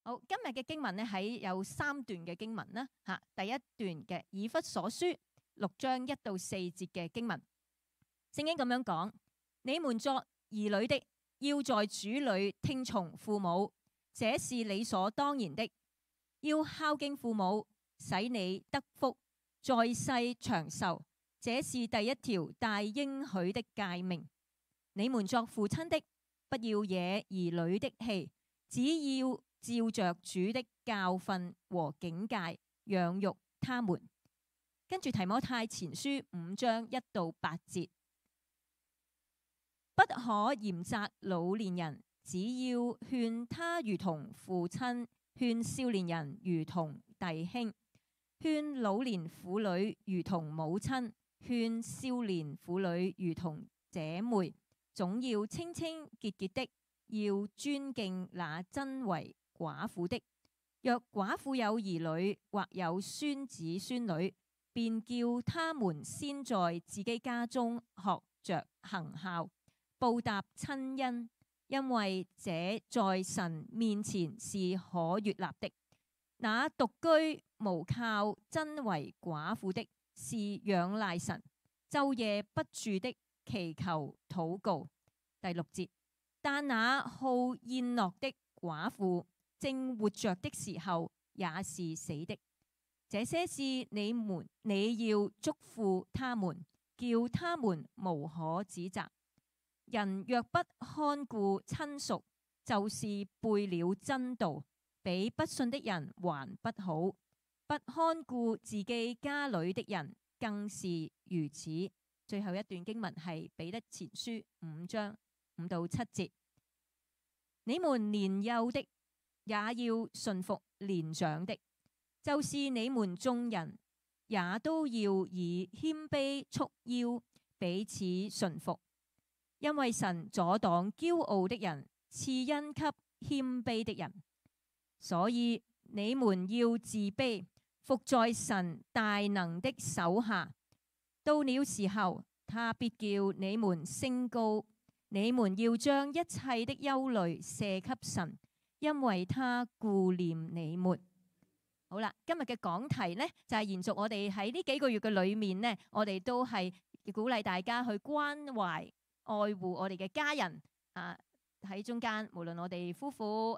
好，今日嘅經文咧喺有3段嘅經文啦。第一段嘅以弗所書6章1到4節嘅經文，聖經咁樣講：你們作兒女的，要在主裏聽從父母，這是理所當然的。要孝敬父母，使你得福，在世長壽，這是第一條帶應許的誡命。你們作父親的，不要惹兒女的氣，只要照着主的教訓和警戒養育他們。跟住提摩太前書5章1到8節，不可嚴責老年人，只要勸他如同父親，勸少年人如同弟兄，勸老年婦女如同母親，勸少年婦女如同姐妹。總要清清潔潔的，要尊敬那真為寡婦的。若寡婦有兒女或有孫子孫女，便叫他們先在自己家中學着行孝，報答親恩，因為這在神面前是可悅納的。那獨居無靠真為寡婦的，是仰賴神，晝夜不住的祈求禱告。第6節，但那好宴樂的寡婦，正活着的時候也是死的。這些事你要囑咐他們，叫他們無可指責。人若不看顧親屬，就是背了真道，比不信的人還不好。不看顧自己家裏的人，更是如此。最後一段經文係彼得前書5章5到7節。你們年幼的也要順服年長的，就是你們眾人也都要以謙卑束腰，彼此順服。因為神阻擋驕傲的人，賜恩給謙卑的人。所以你們要自卑，服在神大能的手下。到了時候，他必叫你們升高。你們要將一切的憂慮卸給神，因為他顧念你們。好啦，今日嘅講題呢，就係延續我哋喺呢幾個月嘅裏面呢，我哋都係鼓勵大家去關懷愛護我哋嘅家人啊，喺中間，無論我哋夫婦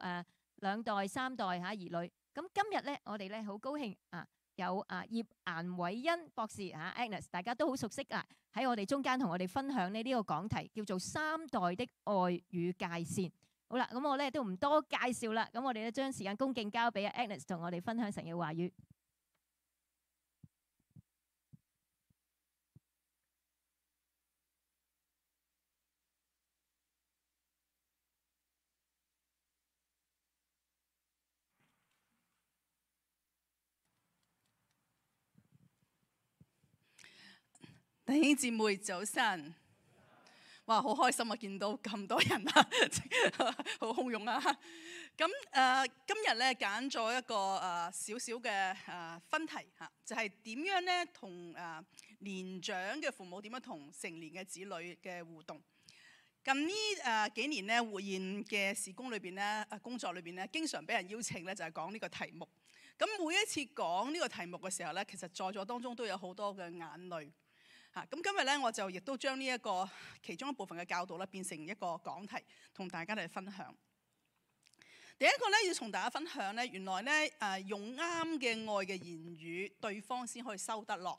2代3代兒女。咁今日呢，我哋呢好高興有葉顏偉恩博士Agnes， 大家都好熟悉喺我哋中間同我哋分享呢個講題，叫做3代的愛與界線。好啦，咁我咧都唔多介紹啦，咁我哋咧將時間恭敬交俾Agnes同我哋分享神嘅話語。弟兄姊妹早晨，哇，好開心啊！見到咁多人啊，好洶湧啊！咁今日咧揀咗一個少少嘅分題嚇，就係點樣咧同年長嘅父母點樣同成年嘅子女嘅互動。近呢幾年咧活現嘅事工裏邊咧工作裏邊咧，經常俾人邀請咧就係講呢個題目。咁每一次講呢個題目嘅時候咧，其實在座當中都有好多嘅眼淚。咁今日咧，我就亦都將呢一個其中一部分嘅教導咧，變成一個講題，同大家嚟分享。第一個咧，要同大家分享咧，原來咧用啱嘅愛嘅言語，對方先可以收得落。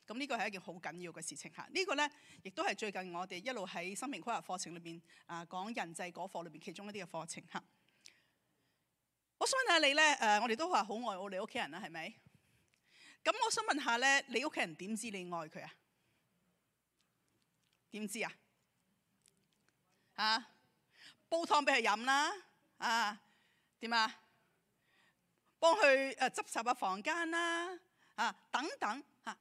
咁呢個係一件好緊要嘅事情嚇。呢個咧，亦都係最近我哋一路喺生命規劃課程裏邊講人際嗰課裏邊其中一啲嘅課程嚇。我想問下你咧，我哋都話好愛我哋屋企人啦，係咪？咁我想問下咧，你屋企人點知你愛佢啊？點知啊？煲湯俾佢飲啦，點啊？幫佢執拾下房間啦，等等嚇。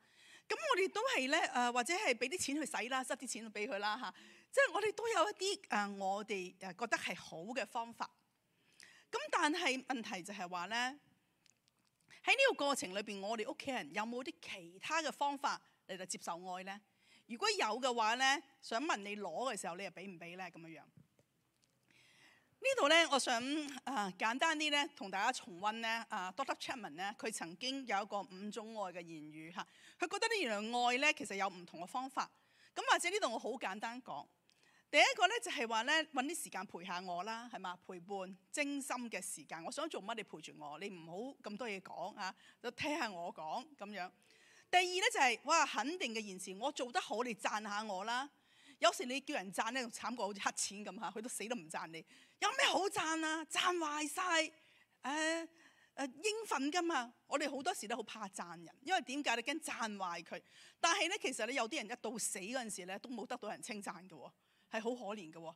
咁我哋都係咧或者係俾啲錢去使啦，塞啲錢俾佢啦嚇。即係我哋都有一啲我哋覺得係好嘅方法。咁但係問題就係話咧，喺呢個過程裏邊，我哋屋企人有冇啲其他嘅方法嚟到接受愛咧？如果有嘅話咧，想問你攞嘅時候，你又俾唔俾咧？咁樣樣。呢度咧，我想簡單啲咧，同大家重溫咧Dr. Chapman 咧，佢曾經有一個5種愛嘅言語嚇。佢覺得呢原來愛咧其實有唔同嘅方法。咁或者呢度我好簡單講，第一個咧就係話咧揾啲時間陪下我啦，係嘛？陪伴精心嘅時間。我想做乜你陪住我，你唔好咁多嘢講啊，就聽下我講咁樣。第二咧就係哇肯定嘅言辭，我做得好你讚下我啦。有時你叫人讚咧，仲慘過好似黑錢咁嚇，佢都死都唔讚你。有咩好讚啊？讚壞晒，應份噶嘛。我哋好多時都好怕讚人，因為點解？你驚讚壞佢。但係咧，其實你有啲人一到死嗰陣時咧，都冇得到人稱讚嘅喎，係好可憐嘅喎。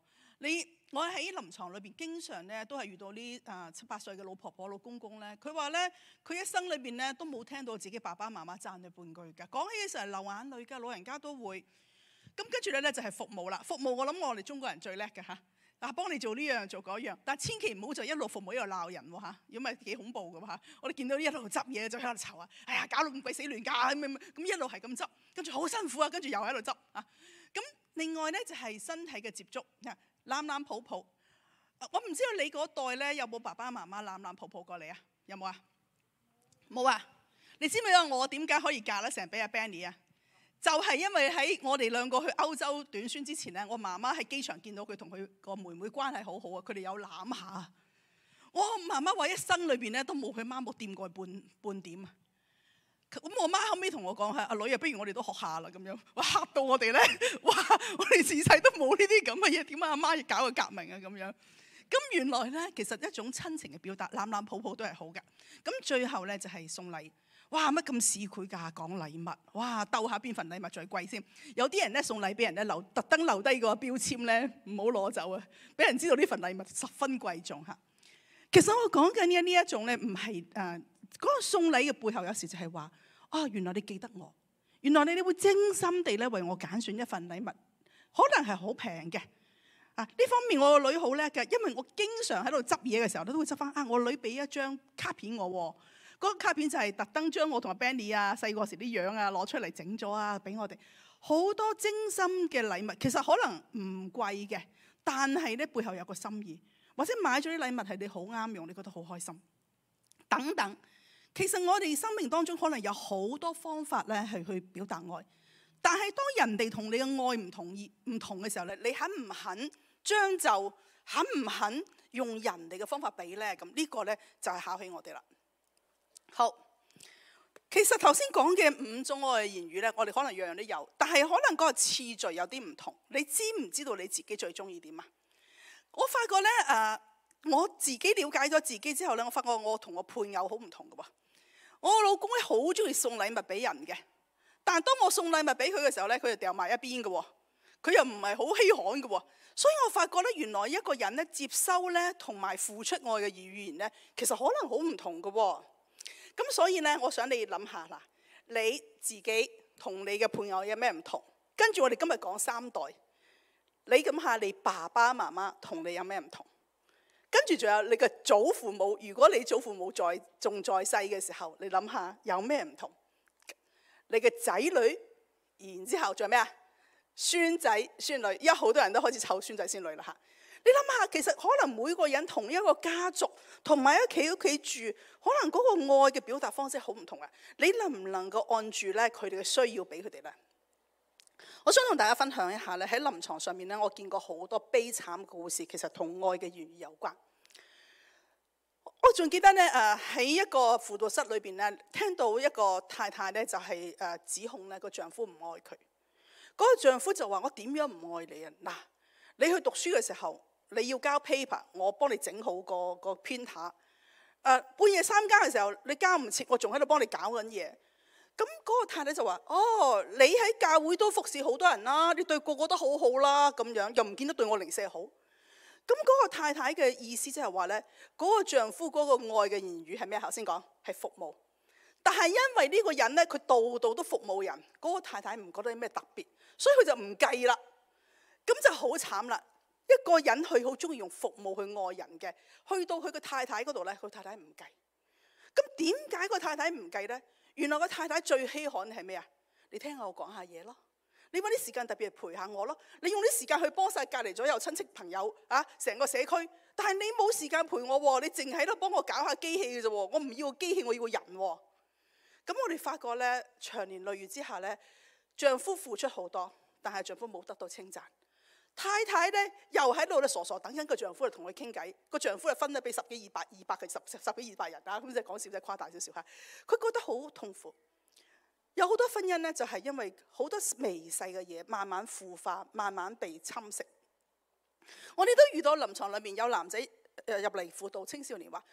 我喺臨床裏邊經常咧都係遇到啲7、8歲嘅老婆婆、老公公咧，佢話咧佢一生裏邊咧都冇聽到自己爸爸媽媽讚佢半句㗎。講起嘅時候流眼淚㗎，老人家都會。咁跟住咧就係服務啦。服務我諗我哋中國人最叻嘅嚇。幫你做呢樣做嗰樣，但千祈唔好就一路服務一路鬧人喎嚇，如果唔係幾恐怖嘅喎嚇。我哋見到一路執嘢就喺度嘈啊，哎呀搞到咁鬼死亂㗎咁一路係咁執，跟住好辛苦啊，跟住又喺度執啊。咁另外咧就係身體嘅接觸，攬攬抱抱。我唔知道你嗰代咧有冇爸爸媽媽攬攬抱抱過你啊？有冇啊？冇啊？你知唔知道我點解可以嫁得成俾阿 Benny 啊？就係因為喺我哋兩個去歐洲短宣之前咧，我媽媽喺機場見到佢同佢個妹妹關係好好啊，佢哋有攬下。我媽媽話一生裏邊咧都冇佢媽冇掂過半點啊。咁我媽後尾同我講係阿女啊，不如我哋都學下啦咁樣。哇嚇到我哋咧，哇！我哋自細都冇呢啲咁嘅嘢，點解阿媽要搞個革命啊咁樣？咁原來咧其實一種親情嘅表達，攬攬抱抱都係好㗎。咁最後咧就係送禮。哇！乜咁市儈㗎？講禮物，哇！鬥下邊份禮物最貴先。有啲人咧送禮俾人咧特登留低個標籤咧，唔好攞走啊！俾人知道呢份禮物十分貴重嚇。其實我講緊嘅呢一種咧，唔係嗰個送禮嘅背後，有時就係話，原來你記得我，原來你會精心地咧為我揀選一份禮物，可能係好平嘅。呢方面我個女好叻嘅，因為我經常喺度執嘢嘅時候，都會執翻我女俾一張卡片我喎。嗰個卡片就係特登將我同阿 Benny 細個時啲樣攞出嚟整咗俾我哋，好多精心嘅禮物。其實可能唔貴嘅，但係咧背後有個心意，或者買咗啲禮物係你好啱用，你覺得好開心等等。其實我哋生命當中可能有好多方法咧係去表達愛，但係當人哋同你嘅愛唔同嘅時候咧，你肯唔肯將就，肯唔肯用人哋嘅方法俾咧？咁呢個咧就係考起我哋啦。好，其實頭先講嘅5種愛嘅言語咧，我哋可能樣樣都有，但係可能嗰個次序有啲唔同。你知唔知道你自己最中意點啊？我發覺咧我自己了解咗自己之後咧，我發覺我同我配偶好唔同嘅喎。我老公咧好中意送禮物俾人嘅，但係當我送禮物俾佢嘅時候咧，佢就掉埋一邊嘅喎。佢又唔係好稀罕嘅喎。所以我發覺咧，原來一個人咧接收咧同埋付出愛嘅語言咧，其實可能好唔同嘅喎。咁所以咧，我想你諗下啦，你自己同你嘅配偶有咩唔同？跟住我哋今日講3代，你諗下你爸爸媽媽同你有咩唔同？跟住仲有你嘅祖父母，如果你祖父母仲在世嘅時候，你諗下有咩唔同？你嘅仔女，然之後仲有咩啊？孫仔孫女，因為好多人都開始湊孫仔孫女啦嚇。你諗下，其實可能每個人同一個家族同埋一企屋企住，可能嗰個愛嘅表達方式好唔同啊！你能唔能夠按住咧佢哋嘅需要俾佢哋咧？我想同大家分享一下咧，喺臨床上面咧，我見過好多悲慘嘅故事，其實同愛嘅言語有關。我仲記得咧喺一個輔導室裏邊咧，聽到一個太太咧就係指控咧個丈夫唔愛佢。嗰個丈夫就話：我點樣唔愛你啊？嗱，你去讀書嘅時候，你要交 paper， 我幫你整好個 printer。半夜3更嘅時候，你交唔切，我仲喺度幫你搞緊嘢。咁嗰個太太就話：你喺教會都服侍好多人啦，你對個個都好好啦，咁樣又唔見得對我零舍好。咁嗰個太太嘅意思即係話咧，嗰個丈夫嗰個愛嘅言語係咩？頭先講係服務，但係因為呢個人咧，佢度度都服務人，嗰個太太唔覺得有咩特別，所以佢就唔計啦。咁就好慘啦！一個人佢好中意用服務去愛人嘅，去到佢個太太嗰度咧，佢太太唔計。咁點解個太太唔計咧？原來個太太最稀罕係咩啊？你聽我講下嘢咯。你揾啲時間特別係陪下我咯。你用啲時間去幫晒隔離左右親戚朋友啊，成個社區。但係你冇時間陪我喎，你淨喺度幫我搞下機器嘅啫喎。我唔要個機器，我要個人喎。咁我哋發覺咧，長年累月之下咧，丈夫付出好多，但係丈夫冇得到稱讚。太太咧又喺度咧傻傻等緊個丈夫嚟同佢傾偈，個丈夫係分咗俾十幾二百嘅十幾二百人啊，咁即係講笑，即係誇大少少嚇。佢覺得好痛苦。有好多婚姻咧，就係因為好多微細嘅嘢慢慢腐化，慢慢被侵蝕。我哋都遇到臨床裏面有男仔入嚟輔導青少年話：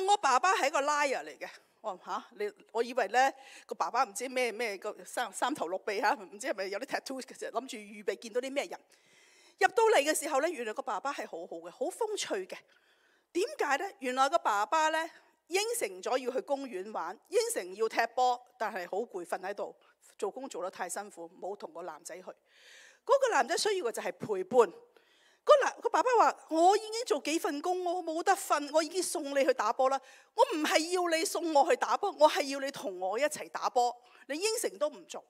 我爸爸係一個 liar 嚟嘅。我話嚇，我以為咧個爸爸唔知咩個三頭六臂嚇，唔知係咪有啲 tattoo 嘅時候諗住預備見到啲咩人。入到嚟嘅時候咧，原來個爸爸係好好嘅，好風趣嘅。點解咧？原來個爸爸咧應承咗要去公園玩，應承要踢波，但係好攰，瞓喺度做工做得太辛苦，冇同個男仔去。嗰個男仔需要嘅就係陪伴。個爸爸話：我已經做幾份工，我冇得瞓，我已經送你去打波啦。我唔係要你送我去打波，我係要你同我一齊打波。你應承都唔做。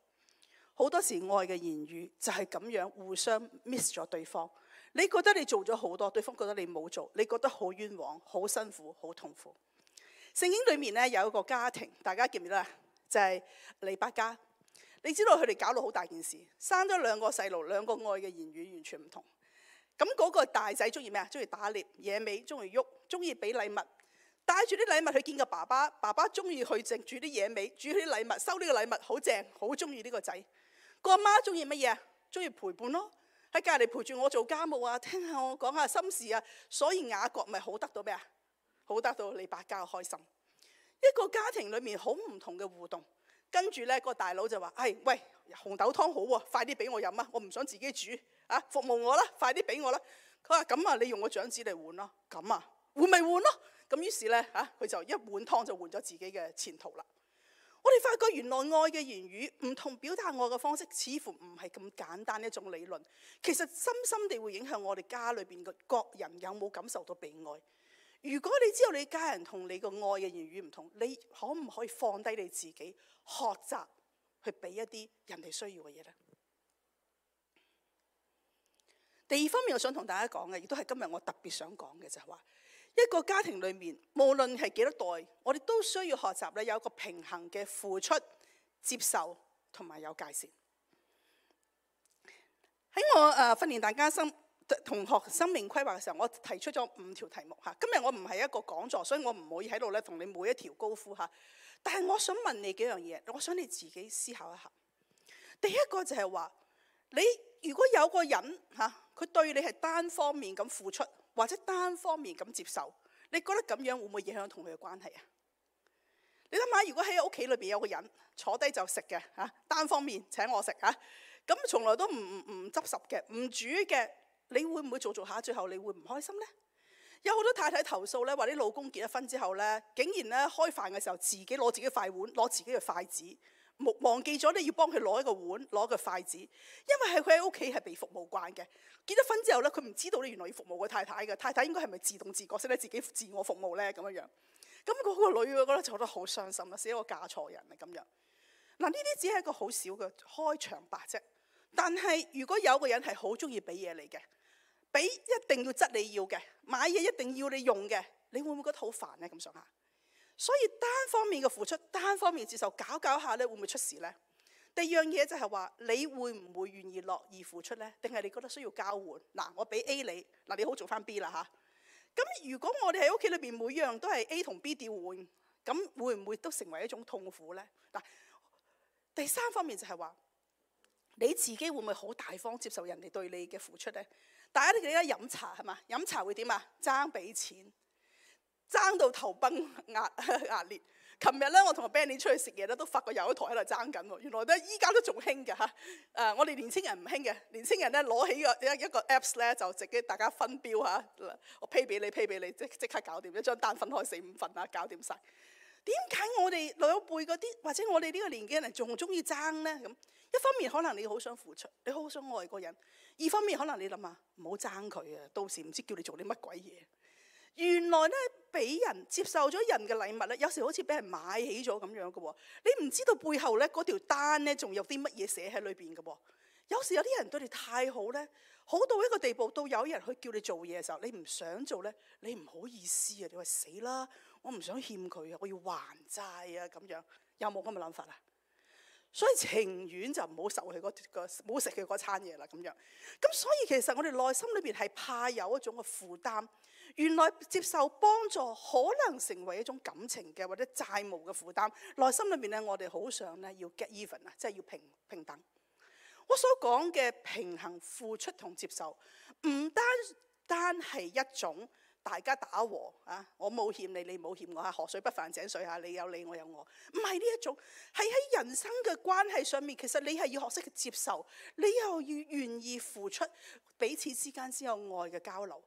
好多時愛嘅言語就係咁樣互相 miss 咗對方。你覺得你做咗好多，對方覺得你冇做，你覺得好冤枉、好辛苦、好痛苦。聖經裏面咧有一個家庭，大家記唔記得啊？就係利百加。你知道佢哋搞到好大件事，生咗兩個細路，兩個愛嘅言語完全唔同。咁嗰個大仔中意咩啊？中意打獵、野味，中意喐，中意俾禮物，帶住啲禮物去見個爸爸。爸爸中意去整煮啲野味，煮啲禮物，收呢個禮物好正，好中意呢個仔。個阿媽中意乜嘢啊？中意陪伴咯，喺隔離陪住我做家務啊，聽下我講下心事啊。所以雅各咪好得到咩啊？好得到利百加嘅開心。一個家庭裏面好唔同嘅互動。跟住咧個大佬就話：喂，紅豆湯好喎，快啲俾我飲啊！我唔想自己煮啊，服務我啦，快啲俾我啦。佢話：咁啊，你用個長子嚟換咯。咁啊，換咪換咯。咁於是咧佢就一碗湯就換咗自己嘅前途啦。我哋發覺原來愛嘅言語唔同表達愛嘅方式，似乎唔係咁簡單一種理論。其實深深地會影響我哋家裏邊嘅各人有冇感受到被愛。如果你知道你家人同你個愛嘅言語唔同，你可唔可以放低你自己，學習去俾一啲人哋需要嘅嘢呢？第二方面我想同大家講嘅，亦都係今日我特別想講嘅，就係話一個家庭裏面，無論係幾多代，我哋都需要學習咧，有一個平衡嘅付出、接受同埋有界線。喺我訓練大家同學生命規劃嘅時候，我提出咗5條題目嚇。今日我唔係一個講座，所以我唔可以喺度咧同你每一條高呼嚇。但係我想問你幾樣嘢，我想你自己思考一下。第一個就係話，你如果有個人佢對你係單方面咁付出，或者單方面咁接受，你覺得咁樣會唔會影響同佢嘅關係啊？你諗下，如果喺屋企裏邊有個人坐低就食嘅單方面請我食咁從來都唔執拾嘅，唔煮嘅。你會唔會做下最後你會唔開心呢？有好多太太投訴咧，話啲老公結咗婚之後咧，竟然咧開飯嘅時候自己攞自己筷碗，攞自己嘅筷子，忘記咗你要幫佢攞一個碗，攞個筷子，因為係佢喺屋企係被服務慣嘅。結咗婚之後咧，佢唔知道你原來要服務個太太嘅，太太應該係咪自動自覺識得自己自我服務咧咁樣樣？咁嗰個女嘅覺得就覺得好傷心啦，死我嫁錯人啦咁樣。嗱，呢啲只係一個好少嘅開場白啫。但係如果有個人係好中意俾嘢你嘅，俾一定要質你要嘅，買嘢一定要你用嘅，你會唔會覺得好煩呢？咁上下，所以單方面嘅付出，單方面接受，搞下咧，會唔會出事呢？第二樣嘢就係話，你會唔會願意樂意付出呢？定係你覺得需要交換？嗱，我俾 A 你，嗱你好做翻 B 啦嚇。咁如果我哋喺屋企裏邊每樣都係 A 同 B 調換，咁會唔會都成為一種痛苦呢？嗱，第三方面就係話，你自己會唔會好大方接受人哋對你嘅付出呢？大家都記得飲茶係嘛？飲茶會點啊？爭俾錢，爭到頭崩額裂。琴日咧，我同阿 Benny 出去食嘢咧，都發覺有一台喺度爭緊喎。原來咧，依家都仲興嘅嚇。我哋年青人唔興嘅，年青人咧攞起一個 Apps 咧，就自己大家分標嚇。我 pay 俾你，即刻搞掂，一張單分開4-5份啊，搞掂晒。點解我哋老一輩嗰啲，或者我哋呢個年紀嘅人仲中意爭咧？咁一方面可能你好想付出，你好想愛個人；二方面可能你諗下唔好爭佢啊，到時唔知叫你做啲乜鬼嘢。原來咧，俾人接受咗人嘅禮物咧，有時好似俾人買起咗咁樣嘅喎。你唔知道背後咧嗰條單咧，仲有啲乜嘢寫喺裏邊嘅喎。有時有啲人對你太好咧，好到一個地步，到有人去叫你做嘢嘅時候，你唔想做咧，你唔好意思啊！你話死啦，我唔想欠佢啊，我要還債啊咁樣，有冇咁嘅諗法啊？所以情願就唔好受佢唔好食佢嗰餐嘢啦咁樣。咁所以其實我哋內心裏邊係怕有一種嘅負擔。原來接受幫助可能成為一種感情嘅或者債務嘅負擔。內心裏邊咧，我哋好想咧要 get even 啊，即係要平等。我所講嘅平衡付出同接受，唔單係一種大家打和啊，我冇欠你，你冇欠我，河水不犯井水，你有你，我有我，唔係呢一種，係喺人生嘅關係上面，其實你係要學識去接受，你又要願意付出，彼此之間先有愛嘅交流。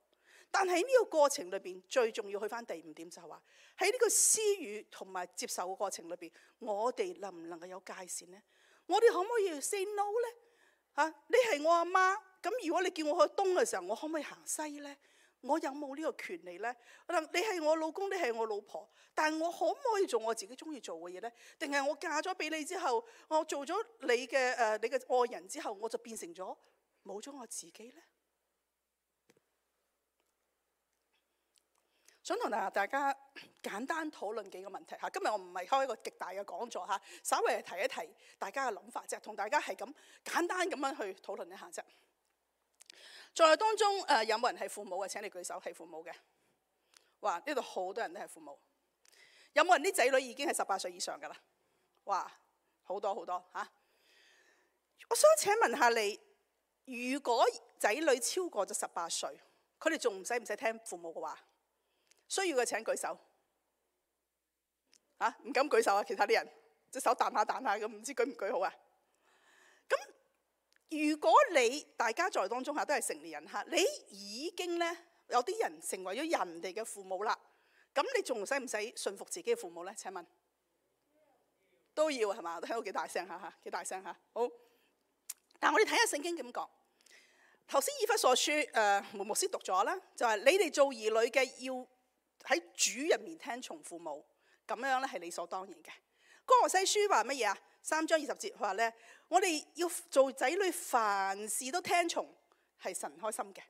但係呢個過程裏邊，最重要去翻第5點就係話，喺呢個施予同埋接受嘅過程裏邊，我哋能唔能夠有界線呢？我哋可唔可以 say no 呢？你係我阿媽，咁如果你叫我去東嘅時候，我可唔可以行西呢？我有冇呢個權利呢？你係我老公，你係我老婆，但係我可唔可以做我自己中意做嘅嘢呢？定係我嫁咗俾你之後，我做咗你嘅愛人之後，我就變成咗冇咗我自己呢？想同大家簡單討論幾個問題嚇。今日我唔係開一個極大嘅講座嚇，稍微係提一提大家嘅諗法啫，同大家係咁簡單咁樣去討論一下啫。在當中有冇人係父母嘅？請你舉手，係父母嘅。哇！呢度好多人都係父母。有冇人啲仔女已經係18歲以上㗎啦？哇！好多好多嚇。我想請問下你，如果仔女超過咗18歲，佢哋仲唔使聽父母嘅話？需要嘅請舉手。唔敢舉手啊！其他啲人隻手彈下咁，唔知舉唔舉好啊？咁如果大家在當中都係成年人嚇，你已經咧有啲人成為咗人哋嘅父母啦，咁你仲使唔使順服自己嘅父母咧？請問都要係嘛？聽到幾大聲嚇，幾大聲嚇。好，但係我哋睇下聖經點講。頭先以弗所書梅牧師讀咗啦，就係你哋做兒女嘅要喺主入面聽從父母，咁樣咧係理所當然嘅。哥羅西書話乜嘢啊？3章20節話咧，我哋要做仔女，凡事都聽從，係神開心嘅。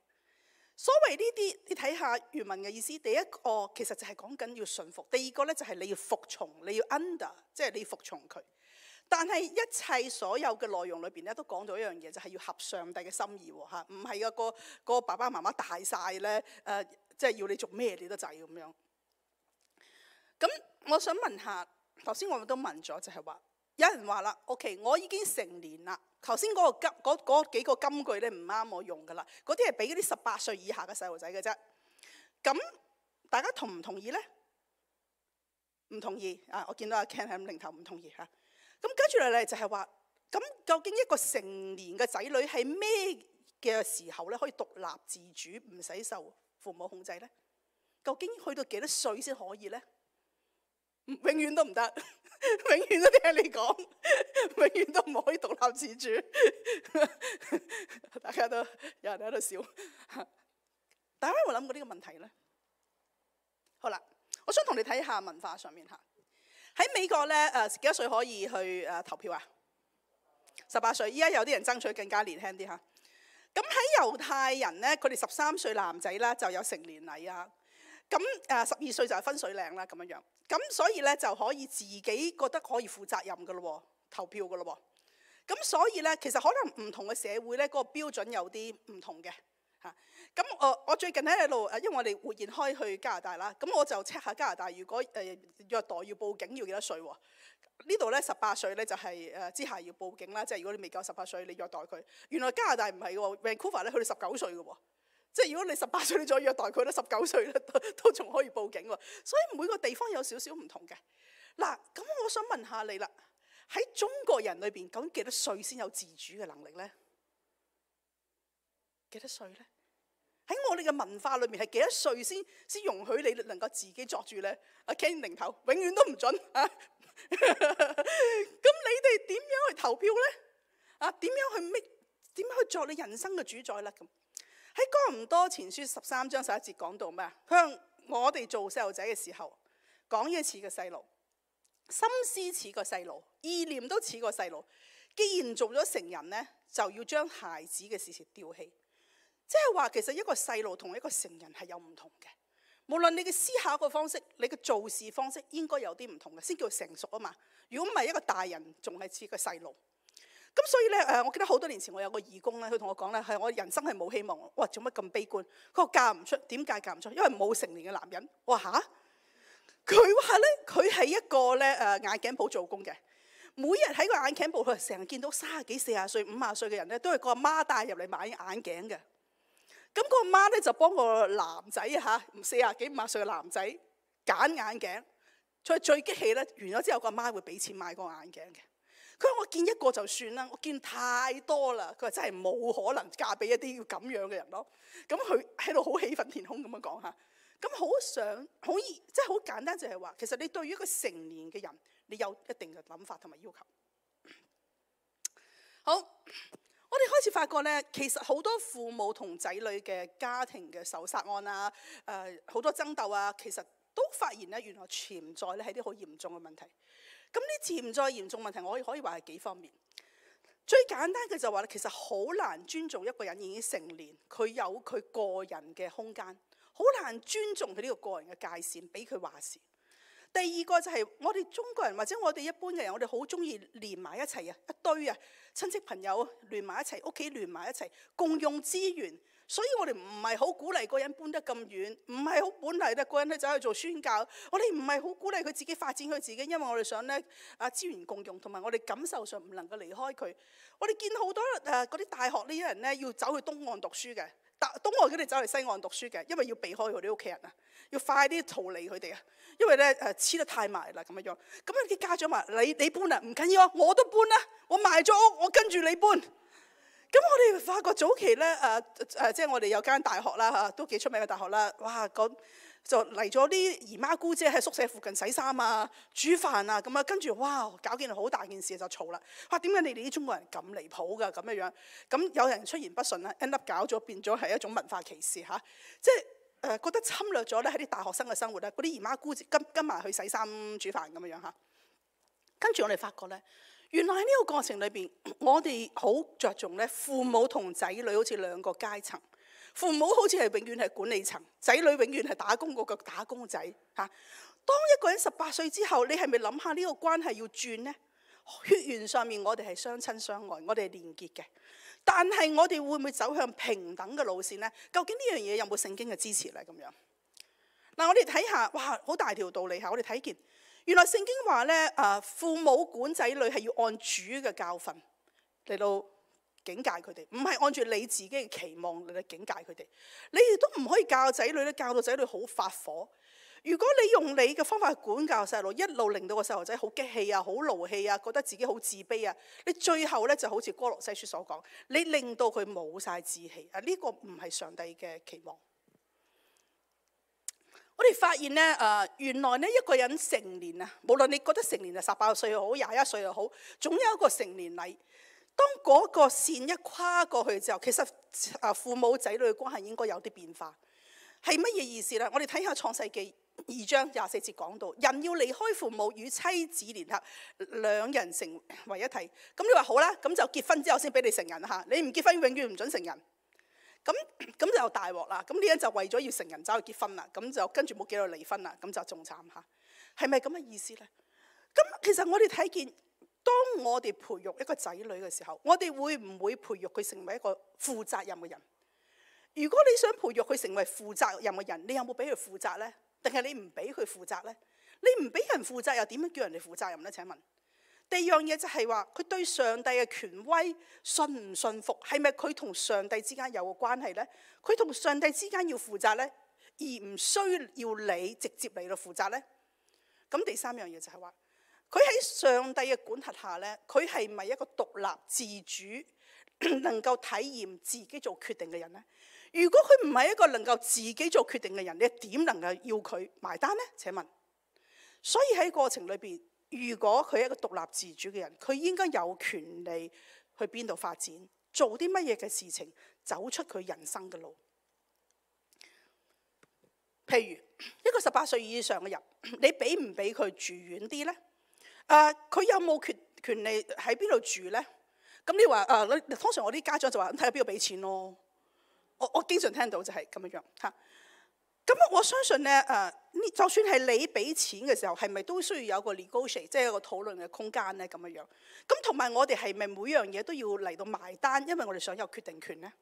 所謂呢啲，你睇下原文嘅意思。第一個其實就係講緊要順服，第二個咧就係你要服從，你要 under， 即係你要服從佢。但係一切所有嘅內容裏邊咧，都講咗一樣嘢，就係要合上帝嘅心意喎嚇，唔係個爸爸媽媽大晒咧即係要你做咩你都制咁樣。咁我想問下，頭先我都問咗，就係話有人話啦 ，OK， 我已經成年啦。頭先嗰幾個金句咧唔啱我用噶啦，嗰啲係俾嗰啲18歲以下嘅細路仔嘅啫。咁大家同唔同意咧？唔同意啊！我見到阿 Ken 喺領頭唔同意嚇。咁跟住嚟就係話，咁究竟一個成年嘅仔女係咩嘅時候咧可以獨立自主，唔使受父母控制咧？究竟去到幾多歲先可以咧？永遠都唔得，永遠都聽你講，永遠都唔可以獨立自主。大家都有人喺度笑，大家有冇諗過呢個問題咧？好啦，我想同你睇下文化上面嚇。喺美國咧幾多歲可以去投票啊？18歲。依家有啲人爭取更加年輕啲嚇。咁喺猶太人咧，佢哋13歲男仔啦就有成年禮啊。咁12歲就係分水嶺啦咁樣樣。咁所以咧就可以自己覺得可以負責任噶咯喎，投票噶咯喎。咁所以咧其實可能唔同嘅社會咧嗰個標準有啲唔同嘅嚇。咁我最近喺度因為我哋活現開去加拿大啦，咁我就 check 下加拿大如果虐待要報警要幾多歲喎？呢度咧18歲咧就係之下要報警啦，即係如果你未夠18歲你虐待佢。原來加拿大唔係喎 ，Vancouver 咧去到19歲嘅喎。即係如果你18歲你再虐待佢咧，19歲咧都仲可以報警喎。所以每個地方有少少唔同嘅。嗱，咁我想問下你啦，喺中國人裏邊究竟幾多歲先有自主嘅能力咧？幾多歲咧？喺我哋嘅文化裏面係幾多歲先容許你能夠自己作主咧？阿 Ken 零頭永遠都唔準啊！咁你哋點樣去投票咧？點樣去作你人生嘅主宰咧？咁喺哥林多前書13章11節講到咩啊？向我哋做細路仔嘅時候，講嘢似個細路，心思似個細路，意念都似個細路。既然做咗成人呢，就要將孩子嘅事情丟棄。即係話其實一個細路同一個成人係有唔同嘅。無論你嘅思考嘅方式，你嘅做事方式應該有啲唔同嘅，先叫成熟啊嘛。如果唔係一個大人，仲係似個細路。咁所以咧，我記得好多年前我有個義工咧，佢同我講咧，係我人生係冇希望。哇，做乜咁悲觀？佢話嫁唔出，點解嫁唔出？因為冇成年嘅男人。我話吓？佢話咧，佢係一個咧眼鏡鋪做工嘅，每日喺個眼鏡鋪，佢成日見到30幾、40歲、50歲嘅人咧，都係個阿媽帶入嚟買眼鏡嘅。咁個阿媽咧就幫個男仔嚇40幾、50歲嘅男仔揀眼鏡。最激氣咧，完咗之後個阿媽會俾錢買個眼鏡嘅。佢話我見一個就算啦，我見太多啦。佢話真係冇可能嫁俾一啲要咁樣嘅人咯。咁佢喺度好氣憤填胸咁樣講嚇。咁好想好易，即係好簡單就係話，其實你對於一個成年嘅人，你有一定嘅諗法同埋要求。好，我哋開始發覺咧，其實好多父母同仔女嘅家庭嘅仇殺案啊，好多爭鬥啊，其實都發現咧，原來潛在咧係啲好嚴重嘅問題。咁呢潛在嚴重問題，我可以話係幾方面。最簡單嘅就話咧，其實好難尊重一個人已經成年，佢有佢個人嘅空間，好難尊重佢呢個個人嘅界線，俾佢話事。第二個就係我哋中國人或者我哋一般嘅人，我哋好中意連埋一齊啊，一堆啊，親戚朋友連埋一齊，屋企連埋一齊，共用資源。所以我哋唔係好鼓勵個人搬得咁遠，唔係好本嚟咧個人咧走去做宣教。我哋唔係好鼓勵佢自己發展佢自己，因為我哋想咧資源共用，同埋我哋感受上唔能夠離開佢。我哋見好多嗰啲大學呢啲人咧要走去東岸讀書嘅，東岸佢哋走去西岸讀書嘅，因為要避開佢哋屋企人啊，要快啲逃離佢哋啊，因為咧黐得太埋啦咁樣。咁啲家長話：你搬啊，唔緊要啊，我都搬啦，我賣咗屋，我跟住你搬。咁我哋發覺早期咧即係我哋有間大學啦嚇，都幾出名嘅大學啦。哇，就嚟咗啲姨媽姑姐喺宿舍附近洗衫啊、煮飯啊咁啊，跟住哇搞件好大件事就嘈啦。哇，點解你哋啲中國人咁離譜㗎咁樣？咁有人出言不順啦 end up 搞咗變咗係一種文化歧視嚇，即係覺得侵略咗咧喺啲大學生嘅生活咧，嗰啲姨媽姑姐跟埋去洗衫煮飯咁樣嚇。跟住我哋發覺咧。原來喺呢個過程裏邊，我哋好着重咧，父母同仔女好似兩個階層。父母好似係永遠係管理層，仔女永遠係打工嗰個打工仔嚇。當一個人18歲之後，你係咪諗下呢個關係要轉呢？血緣上面我哋係相親相愛，我哋係連結嘅。但係我哋會唔會走向平等嘅路線呢？究竟呢樣嘢有冇聖經嘅支持咧？咁樣嗱，我哋睇下，哇，好大條道理嚇！我哋睇見。原來聖經話咧，父母管仔女係要按主嘅教訓嚟到警戒佢哋，唔係按住你自己嘅期望嚟到警戒佢哋。你亦都唔可以教仔女咧，教到仔女好發火。如果你用你嘅方法去管教細路，一路令到個細路仔好激氣啊、好勞氣啊、覺得自己好自卑啊，你最後咧就好似哥羅西書所講，你令到佢冇晒志氣啊！呢個唔係上帝嘅期望。我哋發現咧，原來咧一個人成年啊，無論你覺得成年係18歲又好，21歲又好，總有一個成年禮。當嗰個線一跨過去之後，其實父母仔女嘅關係應該有啲變化。係乜嘢意思咧？我哋睇下創世記2章24節講到，人要離開父母與妻子聯合，兩人成為一體。咁你話好啦，咁就結婚之後先俾你成人嚇，你唔結婚永遠唔準成人。咁就大鑊啦！咁呢人就為咗要成人走去結婚啦，咁就跟住冇幾耐離婚啦，咁就仲慘嚇。係咪咁嘅意思咧？咁其實我哋睇見，當我哋培育一個仔女嘅時候，我哋會唔會培育佢成為一個負責任嘅人？如果你想培育佢成為負責任嘅人，你有冇俾佢負責咧？定係你唔俾佢負責咧？你唔俾人負責，又點樣叫人哋負責任咧？請問？第二樣嘢就係話，佢對上帝嘅權威信唔信服，係咪佢同上帝之間有個關係呢？佢同上帝之間要負責呢，而唔需要你直接嚟到負責呢？咁第三樣嘢就係話，佢喺上帝嘅管轄下呢，佢係咪一個獨立自主，能夠體驗自己做決定嘅人呢？如果佢唔係一個能夠自己做決定嘅人，你點能夠要佢埋單呢？請問，所以喺過程裏邊。如果佢係一個獨立自主嘅人，佢應該有權利去邊度發展，做啲乜嘢嘅事情，走出佢人生嘅路。譬如一個18歲以上嘅人，你俾唔俾佢住遠啲呢？佢有冇權利喺邊度住呢？咁你話通常我啲家長就話睇下邊個俾錢咯。我經常聽到就係咁樣嚇。咁我相信咧就算係你俾錢嘅時候，係咪都需要有個 negotiate， 即係一個討論嘅空間咧咁樣。咁同埋我哋係咪每樣嘢都要嚟到埋單？因為我哋想有決定權咧。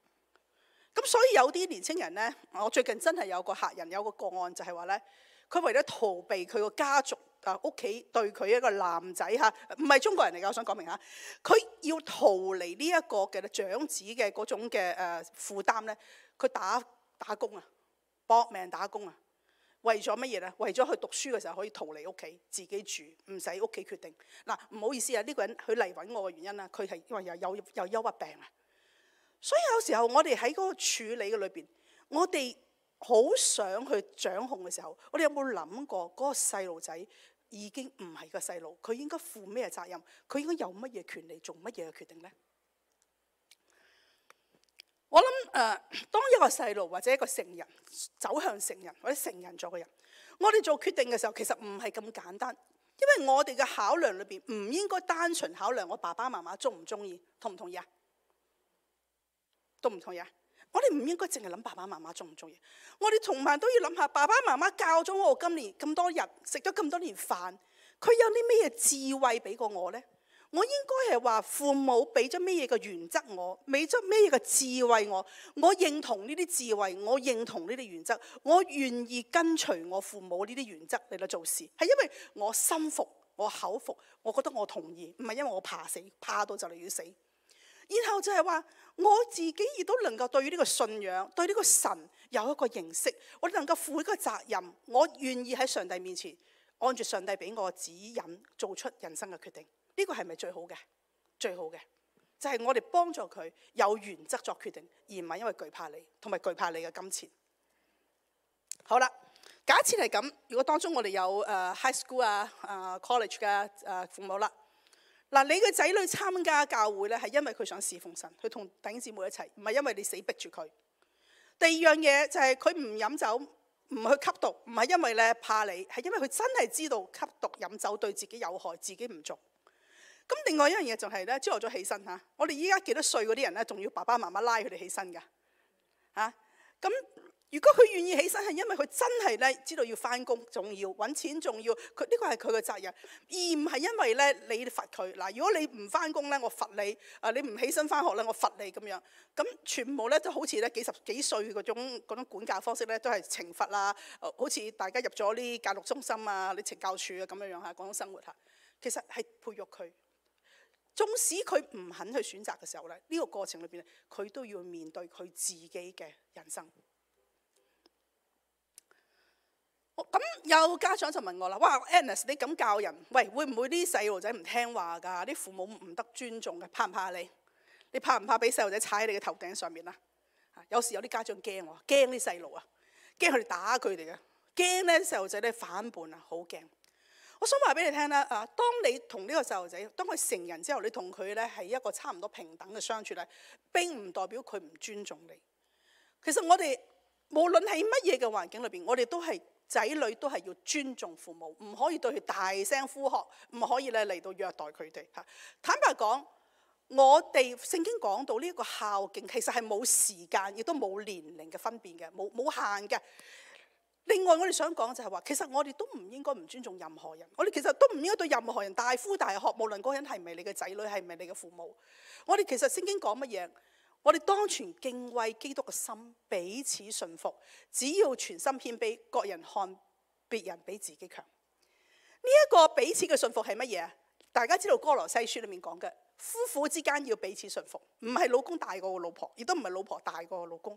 咁所以有啲年青人咧，我最近真係有個客人有個個案就係話咧，佢為咗逃避佢個家族屋企對佢一個男仔嚇，唔係中國人嚟㗎，我想講明嚇，佢要逃離呢一個嘅長子嘅嗰種嘅負擔咧，佢打工啊，搏命打工啊，為咗乜嘢咧？為咗佢讀書嘅時候可以逃離屋企，自己住，唔使屋企決定。嗱，唔好意思啊，呢個人佢嚟揾我嘅原因啦，佢係因為有憂鬱病啊。所以有時候我哋喺嗰個處理嘅裏邊，我哋好想去掌控嘅時候，我哋有冇諗過嗰個細路仔已經唔係個細路，佢應該負咩責任？佢應該有乜嘢權利做乜嘢嘅決定呢？我諗當一個細路或者一個成人走向成人或者成人咗嘅人，我哋做決定嘅時候其實唔係咁簡單，因為我哋嘅考量裏邊唔應該單純考量我爸爸媽媽中唔中意，同唔同意啊？同唔同意啊？我哋唔應該淨係諗爸爸媽媽中唔中意，我哋同埋都要諗下爸爸媽媽教咗我今年咁多日食咗咁多年飯，佢有啲咩智慧俾過我呢？我應該係話父母俾咗咩嘢嘅原則我，俾咗咩嘢嘅智慧我認同呢啲智慧，我認同呢啲原則，我願意跟隨我父母呢啲原則嚟到做事，係因為我心服，我口服，我覺得我同意，唔係因為我怕死，怕到就嚟要死。然後就係話我自己亦都能夠對於呢個信仰，對呢個神有一個認識，我能夠負一個責任，我願意喺上帝面前按住上帝俾我嘅指引做出人生嘅決定。呢個係咪最好嘅？最好嘅就係我哋幫助佢有原則作決定，而唔係因為懼怕你，同埋懼怕你嘅金錢。好啦，假設係咁，如果當中我哋有high school college 嘅父母啦。嗱，你嘅仔女參加教會咧，係因為佢想侍奉神，佢同弟兄姊妹一齊，唔係因為你死逼住佢。第二樣嘢就係佢唔飲酒，唔去吸毒，唔係因為咧怕你，係因為佢真係知道吸毒飲酒對自己有害，自己唔做。咁另外一樣嘢就係咧，朝頭早起身嚇，我哋依家幾多歲嗰啲人咧，仲要爸爸媽媽拉佢哋起身㗎嚇。咁如果佢願意起身，係因為佢真係咧知道要返工，仲要揾錢，仲要佢呢個係佢嘅責任，而唔係因為咧你罰佢。嗱，如果你唔返工咧，我罰你；你唔起身返學咧，我罰你咁樣。咁全部咧都好似咧幾十幾歲嗰種管教方式咧，都係懲罰啦。好似大家入咗啲教育中心啊、啲懲教處啊咁樣樣嚇，嗰種生活嚇，其實係培育佢。縱使佢唔肯去選擇嘅時候咧，呢個過程裏邊佢都要面對佢自己嘅人生。咁有家長就問我啦，哇 Agnes 你咁教人，喂會唔會啲細路仔唔聽話㗎？啲父母唔得尊重嘅，怕唔怕你？你怕唔怕俾細路仔踩喺你嘅頭頂上面啊？有時有啲家長驚喎，驚啲細路啊，驚佢哋打佢哋嘅，驚咧細路仔咧反叛啊，好驚。我想話俾你聽啦，當你同呢個細路仔，當佢成人之後，你同佢咧係一個差唔多平等嘅相處咧，並唔代表佢唔尊重你。其實我哋無論喺乜嘢嘅環境裏邊，我哋都係仔女都係要尊重父母，唔可以對佢大聲呼喝，唔可以咧嚟到虐待佢哋嚇。坦白講，我哋聖經講到呢一個孝敬，其實係冇時間，亦都冇年齡嘅分別嘅，冇限嘅。另外我哋想講就係話，其實我哋都唔應該唔尊重任何人，我哋其實都唔應該對任何人大呼大喝，無論嗰個人係唔係你嘅仔女，係唔係你嘅父母。我哋其實聖經講乜嘢？我哋當存敬畏基督嘅心，彼此順服，只要全心謙卑，各人看別人比自己強。呢一個彼此嘅順服係乜嘢啊？大家知道哥羅西書裏面講嘅，夫婦之間要彼此順服，唔係老公大過個老婆，亦都唔係老婆大過個老公。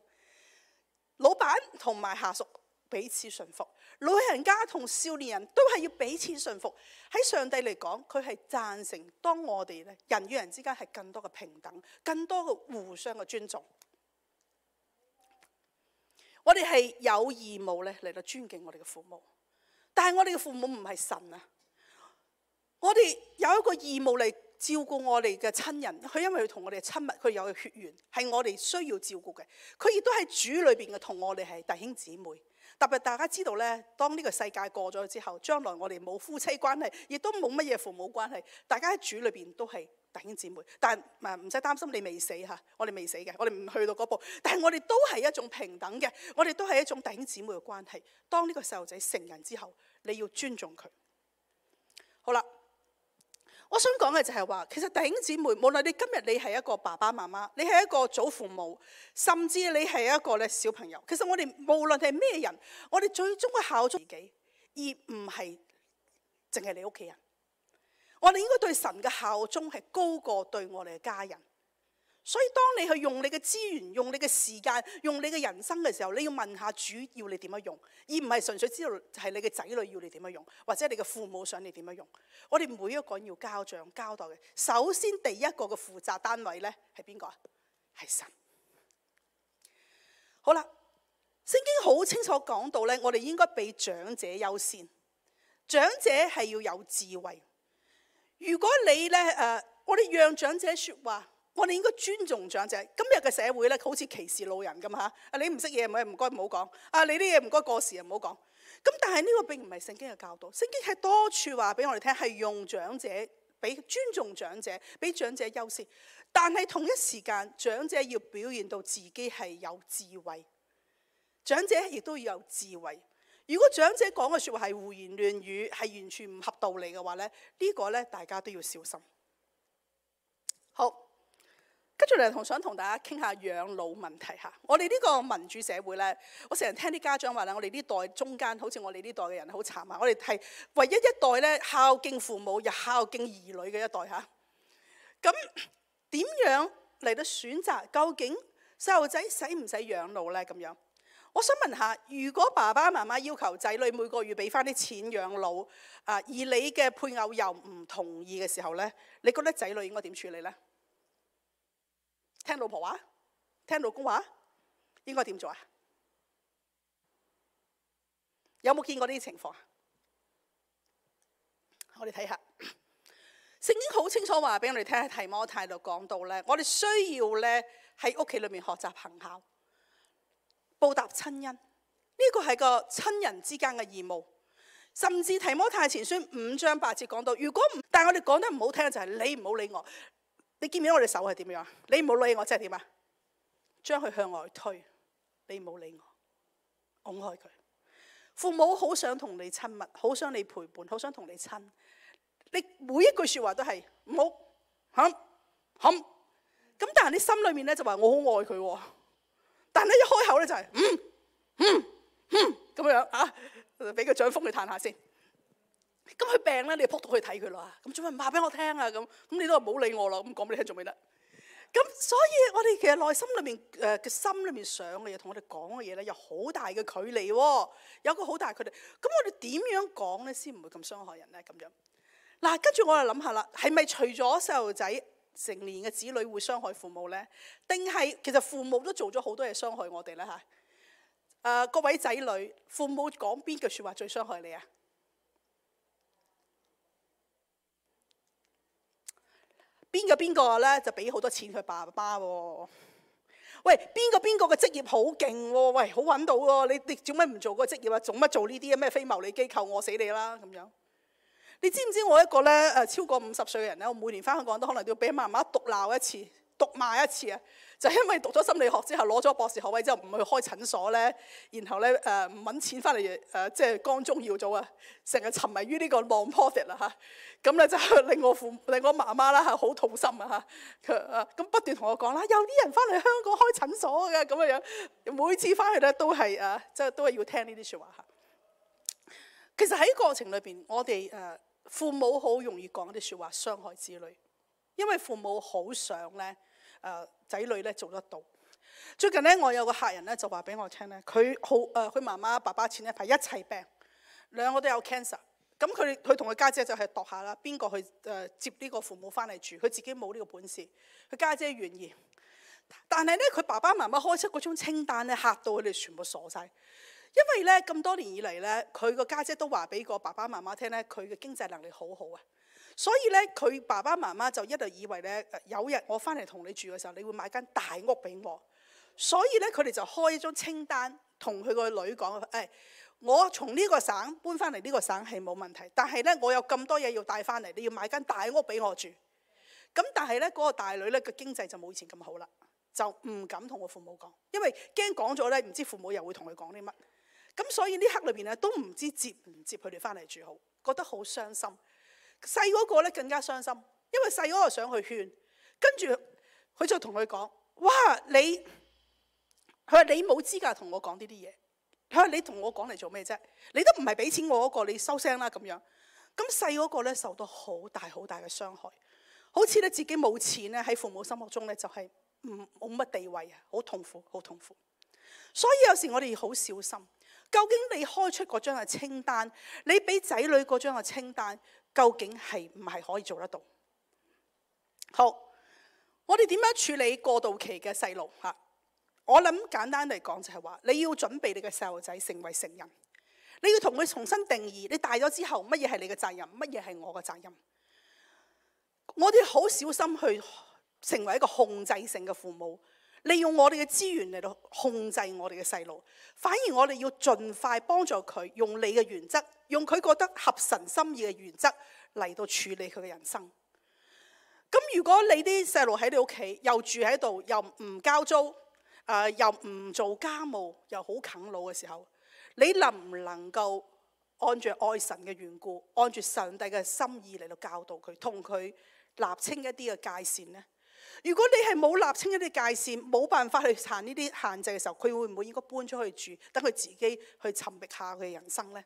老闆同埋下屬彼此順服，老人家同少年人都係要彼此順服。喺上帝嚟講，佢係贊成當我哋咧人與人之間係更多嘅平等，更多嘅互相嘅尊重。我哋係有義務咧嚟到尊敬我哋嘅父母，但係我哋嘅父母唔係神啊！我哋有一個義務嚟照顧我哋嘅親人，佢因為佢同我哋親密，佢有血緣，係我哋需要照顧嘅。佢亦都喺主裏邊嘅同我哋係弟兄姊妹。特別大家知道咧，當呢個世界過咗之後，將來我哋冇夫妻關係，亦都冇乜嘢父母關係，大家喺主裏邊都係弟兄姊妹。但係唔使擔心，你未死嚇，我哋未死嘅，我哋唔去到嗰步。但係我哋都係一種平等嘅，我哋都係一種弟兄姊妹嘅關係。當呢個細路仔成人之後，你要尊重佢。好啦。我想講嘅就係話，其實弟兄姊妹，無論你今日你係一個爸爸媽媽，你係一個祖父母，甚至你係一個咧小朋友，其實我哋無論係咩人，我哋最終嘅效忠自己，而唔係淨係你屋企人。我哋應該對神嘅效忠係高過對我哋嘅家人。所以當你去用你嘅資源、用你嘅時間、用你嘅人生嘅時候，你要問下主要你點樣用，而唔係純粹知道就係你嘅仔女要你點樣用，或者你嘅父母想你點樣用。我哋每一個人要交賬交代嘅。首先第一個嘅負責單位咧係邊個啊？係神。好啦，聖經好清楚講到咧，我哋應該俾長者優先。長者係要有智慧。如果你咧我哋讓長者説話。我哋應該尊重長者。今日嘅社會咧，好似歧視老人咁嚇。你唔識嘢唔該唔好講。你啲嘢唔該過時唔好講。咁但係呢個並唔係聖經嘅教導。聖經係多處話俾我哋聽，係用長者，俾尊重長者，俾長者優先。但係同一時間，長者要表現到自己係有智慧。長者亦都要有智慧。如果長者講嘅説話係胡言亂語，係完全唔合道理嘅話咧，呢個咧大家都要小心。好。跟住嚟想同大家傾下養老問題嚇。我哋呢個民主社會咧，我成日聽啲家長話咧，我哋呢代中間好似我哋呢代嘅人好慘啊！我哋係唯一一代咧孝敬父母又孝敬兒女嘅一代嚇。咁點樣嚟到選擇究竟細路仔使唔使養老咧？咁樣，我想問下，如果爸爸媽媽要求仔女每個月俾翻啲錢養老，而你嘅配偶又唔同意嘅時候咧，你覺得仔女應該點處理咧？聽老婆話，聽老公話，應該點做啊？有冇見過呢啲情況啊？我哋睇下，聖經好清楚話俾我哋聽，喺提摩太度講到咧，我哋需要咧喺屋企裏面學習行孝，報答親恩。呢個係個親人之間嘅義務。甚至提摩太前書5章8節講到，如果唔，但係我哋講得唔好聽就係你唔好理我。你見唔見我哋手係點樣？你唔好理我，即係點啊？將佢向外推，你唔好理我，拱開佢。父母好想同你親密，好想你陪伴，好想同你親。你每一句説話都係唔好冚。咁但係你心裏面咧就話我好愛佢喎。但係一開口咧就係咁樣啊，俾個掌風你嘆下先。咁佢病咧，你就撲到去睇佢啦。咁做咩唔話俾我聽啊？咁你都話唔好理我啦。咁講俾你聽做咩得？咁所以我哋其實內心裏面嘅心裏面想嘅嘢，同我哋講嘅嘢咧，有好大嘅距離喎。有個好大距離。咁我哋點樣講咧，先唔會咁傷害人咧？咁樣嗱，跟住我就諗下啦，係咪除咗細路仔成年嘅子女會傷害父母咧？定係其實父母都做咗好多嘢傷害我哋咧？嚇各位仔女，父母講邊句説話最傷害你啊？邊個咧就俾好多錢佢爸爸喎？喂，邊個嘅職業好勁喎？喂，好揾到喎！你做乜唔做嗰個職業啊？做乜做呢啲咩非牟利機構？餓死你啦咁樣！你知唔知我一個咧超過50歲嘅人咧，我每年翻香港都可能都要俾媽媽毒鬧一次、毒罵一次啊！就因為讀咗心理學之後，攞咗博士學位之後，唔去開診所咧，然後咧唔揾錢翻嚟即係光宗耀祖啊，成日沉迷於呢個 non-profit 啦嚇，咁咧就令我媽媽啦嚇好痛心啊嚇，咁不斷同我講啦，有啲人翻嚟香港開診所嘅咁樣，每次翻去咧都係即係都係要聽呢啲説話嚇。其實喺過程裏邊，我哋父母好容易講一啲説話傷害子女，因為父母好想咧仔女咧做得到。最近咧，我有個客人咧就話俾我聽咧，佢媽媽爸爸前一排一齊病，兩個都有 cancer。咁佢同佢家姐就係度下啦，邊個去接呢個父母翻嚟住？佢自己冇呢個本事，佢家姐願意。但係咧，佢爸爸媽媽開出嗰種清單咧，嚇到佢哋全部傻晒。因為咧咁多年以嚟咧，佢個家姐都話俾個爸爸媽媽聽咧，佢嘅經濟能力好好啊。所以咧，佢爸爸媽媽就一路以為咧，有日我翻嚟同你住嘅時候，你會買間大屋俾我。所以咧佢哋就開一張清單，同佢個女講：我從呢個省搬翻嚟呢個省係冇問題，但係咧我有咁多嘢要帶翻嚟，你要買間大屋俾我住。咁但係咧嗰個大女咧個經濟就冇以前咁好啦，就唔敢同我父母講，因為驚講咗咧，唔知父母又會同佢講啲乜。咁所以呢刻裏邊咧都唔知接唔接佢哋翻嚟住好，覺得好傷心。細嗰個咧更加傷心，因為細嗰個想去勸，跟住佢就同佢講：哇，佢話你冇資格同我講呢啲嘢。佢話你同我講嚟做咩啫？你都唔係俾錢我嗰個，你收聲啦咁樣。咁細嗰個咧受到好大好大嘅傷害，好似咧自己冇錢咧喺父母心目中咧就係冇乜地位啊，好痛苦，好痛苦。所以有時我哋要好小心，究竟你開出嗰張嘅清單，你俾仔女嗰張嘅清單，究竟係唔係可以做得到？好，我哋點樣處理過渡期嘅細路嚇？我諗簡單嚟講就係話，你要準備你嘅細路仔成為成人，你要同佢重新定義，你大咗之後乜嘢係你嘅責任，乜嘢係我嘅責任。我哋好小心去成為一個控制性嘅父母，利用我哋嘅資源嚟到控制我哋嘅細路，反而我哋要盡快幫助佢用你嘅原則，用佢覺得合神心意嘅原則嚟到處理佢嘅人生。咁如果你啲細路喺你屋企，又住喺度，又唔交租，又唔做家務，又好啃老嘅時候，你能唔能夠按住愛神嘅緣故，按住上帝嘅心意嚟到教導佢，同佢立清一啲嘅界線呢？如果你係冇立清一啲界線，冇辦法去行呢啲限制嘅時候，佢會唔會應該搬出去住，等佢自己去尋覓下佢嘅人生呢？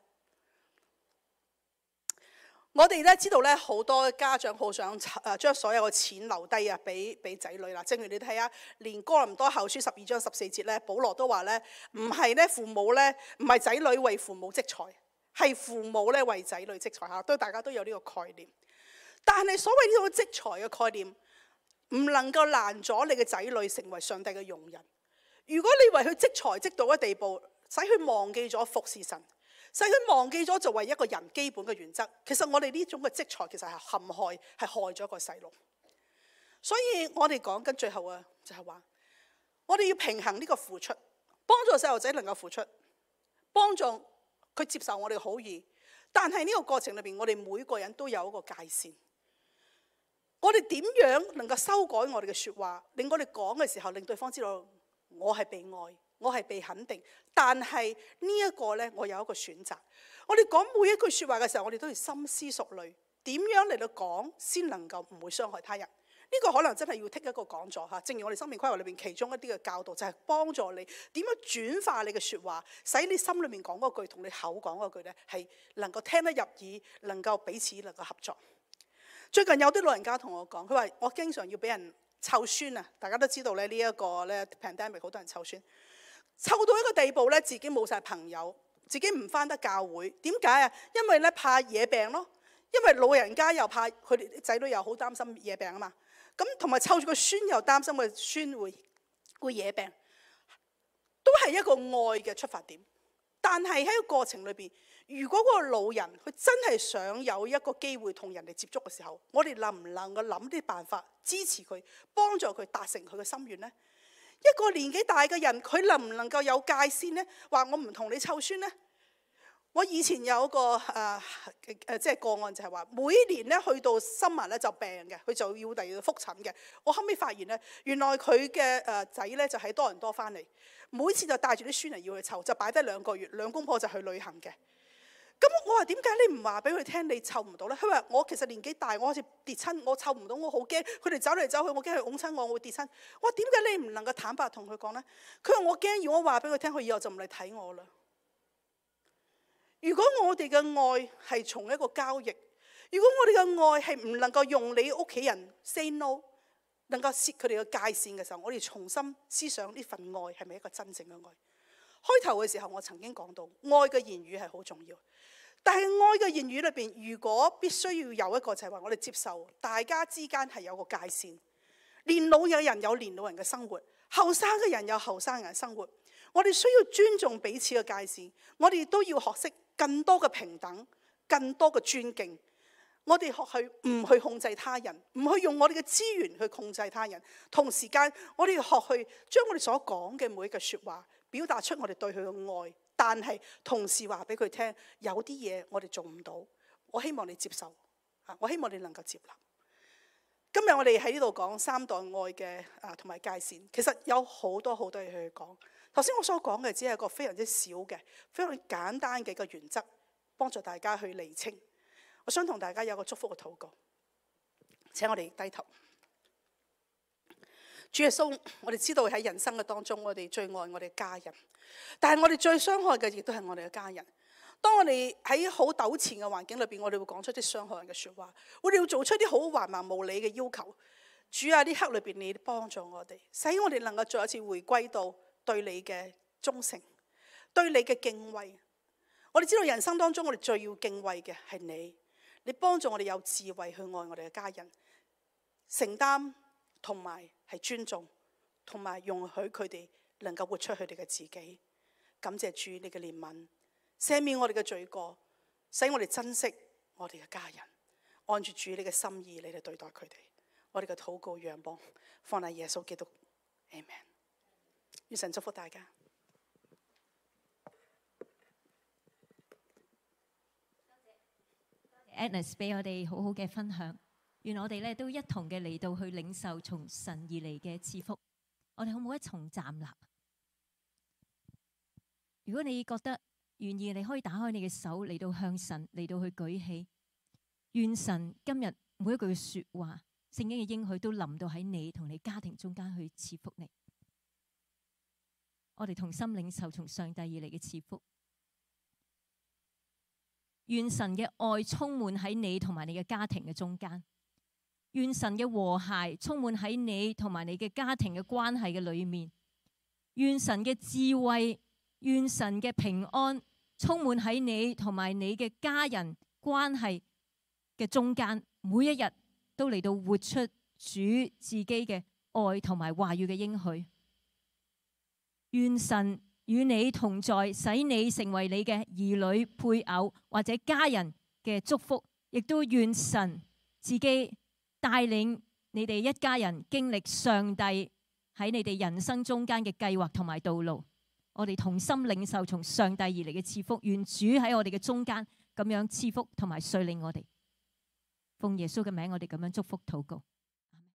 我哋咧知道咧，好多家長好想將所有嘅錢留低啊，俾仔女啦。正如你睇下，連哥林多後書12章14節咧，保羅都話咧，唔係咧父母咧，唔係仔女為父母積財，係父母咧為仔女積財嚇。都大家都有呢個概念。但係所謂呢種積財嘅概念，唔能夠攔阻你嘅仔女成為上帝嘅用人。如果你為佢積財積到一地步，使佢忘記咗服侍神，使佢忘記咗就為一個人基本嘅原則，其實我哋呢種嘅積財其實係陷害，係害咗個細路。所以我哋講緊最後啊，就係話我哋要平衡呢個付出，幫助細路仔能夠付出，幫助佢接受我哋嘅好意。但係呢個過程裏邊，我哋每個人都有一個界線。我哋點樣能夠修改我哋嘅説話，令我哋講嘅時候，令對方知道我係被愛，我係被肯定。但係呢一個呢，我有一個選擇。我哋講每一句説話嘅時候，我哋都要深思熟慮，點樣嚟到講先能夠唔會傷害他人。呢個可能真係要剔一個講座嚇。正如我哋生命規劃裏邊其中一啲嘅教導，就係幫助你點樣轉化你嘅説話，使你心裏面講嗰句同你口講嗰句呢，係能夠聽得入耳，能夠彼此能夠合作。最近有啲老人家同我講，佢話我經常要俾人湊孫啊！大家都知道咧，呢一個咧 pandemic 好多人湊孫，湊到一個地步咧，自己冇晒朋友，自己唔返得教會。點解啊？因為咧怕惹病咯，因為老人家又怕佢哋啲仔女又好擔心惹病啊嘛。咁同埋湊住個孫又擔心個孫會惹病，都係一個愛嘅出發點。但係喺個過程裏邊，如果嗰個老人佢真係想有一個機會同人哋接觸嘅時候，我哋能唔能夠諗啲辦法支持佢，幫助佢達成佢嘅心願呢？一個年紀大嘅人，佢能唔能夠有界線呢？話我唔同你湊孫呢？我以前有一個即係個案，就係話每年咧去到summer咧就病嘅，佢就要第二度覆診嘅。我後尾發現咧，原來佢嘅仔咧就喺多倫多翻嚟，每次就帶住啲孫嚟要去湊，就擺低2個月，兩公婆就去旅行嘅。咁我話點解你唔話俾佢聽你湊唔到咧？佢話我其實年紀大，我好似跌親，我湊唔到，我好驚。佢哋走嚟走去，我驚佢擁親我，我會跌親。我話點解你唔能夠坦白同佢講咧？佢話我驚，如果我話俾佢聽，佢以後就唔嚟睇我啦。如果我哋嘅愛係從一個交易，如果我哋嘅愛係唔能夠用你屋企人 say no， 能夠設佢哋嘅界線嘅時候，我哋重新思想呢份愛係咪一個真正嘅愛？開頭嘅時候我曾經講到，愛嘅言語係好重要，但係愛嘅言語裏邊，如果必須要有一個就係話我哋接受大家之間係有個界線，年老嘅人有年老人嘅生活，後生嘅人有後生人嘅生活，我哋需要尊重彼此嘅界線，我哋都要學識更多嘅平等，更多嘅尊敬。我哋學去唔去控制他人，唔去用我哋嘅資源去控制他人。同時間，我哋要學去將我哋所講嘅每一句説話表達出我哋對佢嘅愛，但係同時話俾佢聽，有啲嘢我哋做唔到，我希望你接受，我希望你能夠接納。今日我哋喺呢度講三代愛嘅同埋界線，其實有好多好多嘢去講。頭先我所講嘅只係一個非常之小嘅、非常簡單嘅一個原則，幫助大家去釐清。我想同大家有個祝福嘅禱告。請我哋低頭。主耶穌，我哋知道喺人生嘅當中，我哋最愛我哋嘅家人，但係我哋最傷害嘅亦都係我哋嘅家人。當我哋喺好糾纏嘅環境裏邊，我哋會講出啲傷害人嘅説話，我哋要做出啲好橫蠻無理嘅要求。主啊，呢刻裏邊你幫助我哋，使我哋能夠再一次回歸到對你嘅忠誠，對你嘅敬畏。我哋知道人生當中我哋最要敬畏嘅係你，你幫助我哋有智慧去愛我哋嘅家人，承擔同埋係尊重，同埋容許佢哋能夠活出佢哋嘅自己。感謝主你嘅憐憫，赦免我哋嘅罪過，使我哋珍惜我哋嘅家人，按住主你嘅心意你嚟對待佢哋。我哋嘅禱告仰望放喺耶穌基督 Amen。 願神祝福大家。Agnes 俾我哋好好嘅分享，願我哋咧都一同嘅嚟到去領受從神而嚟嘅賜福。我哋好唔好一同站立？如果你覺得願意，你可以打開你嘅手嚟到向神嚟到去舉起。願神今日每一句說話，聖經嘅應許都臨到喺你同你家庭中間去賜福你。我哋同心領受從上帝而嚟嘅賜福。願神嘅愛充滿喺你同埋你嘅家庭嘅中間。願神嘅和諧充滿喺你同埋你嘅家庭嘅關係嘅裏面。願神嘅智慧，願神嘅平安充滿喺你同埋你嘅家人關係嘅中間，每一日都嚟到活出主自己嘅愛同埋話語嘅應許。願神與你同在，使你成為你嘅兒女、配偶或者家人嘅祝福，亦都願神自己帶領你哋一家人經歷上帝喺你哋人生中間嘅計劃同埋道路。我哋同心領受從上帝而嚟嘅賜福，願主喺我哋嘅中間咁樣賜福同埋率領我哋。奉耶穌嘅名，我哋咁樣祝福禱告。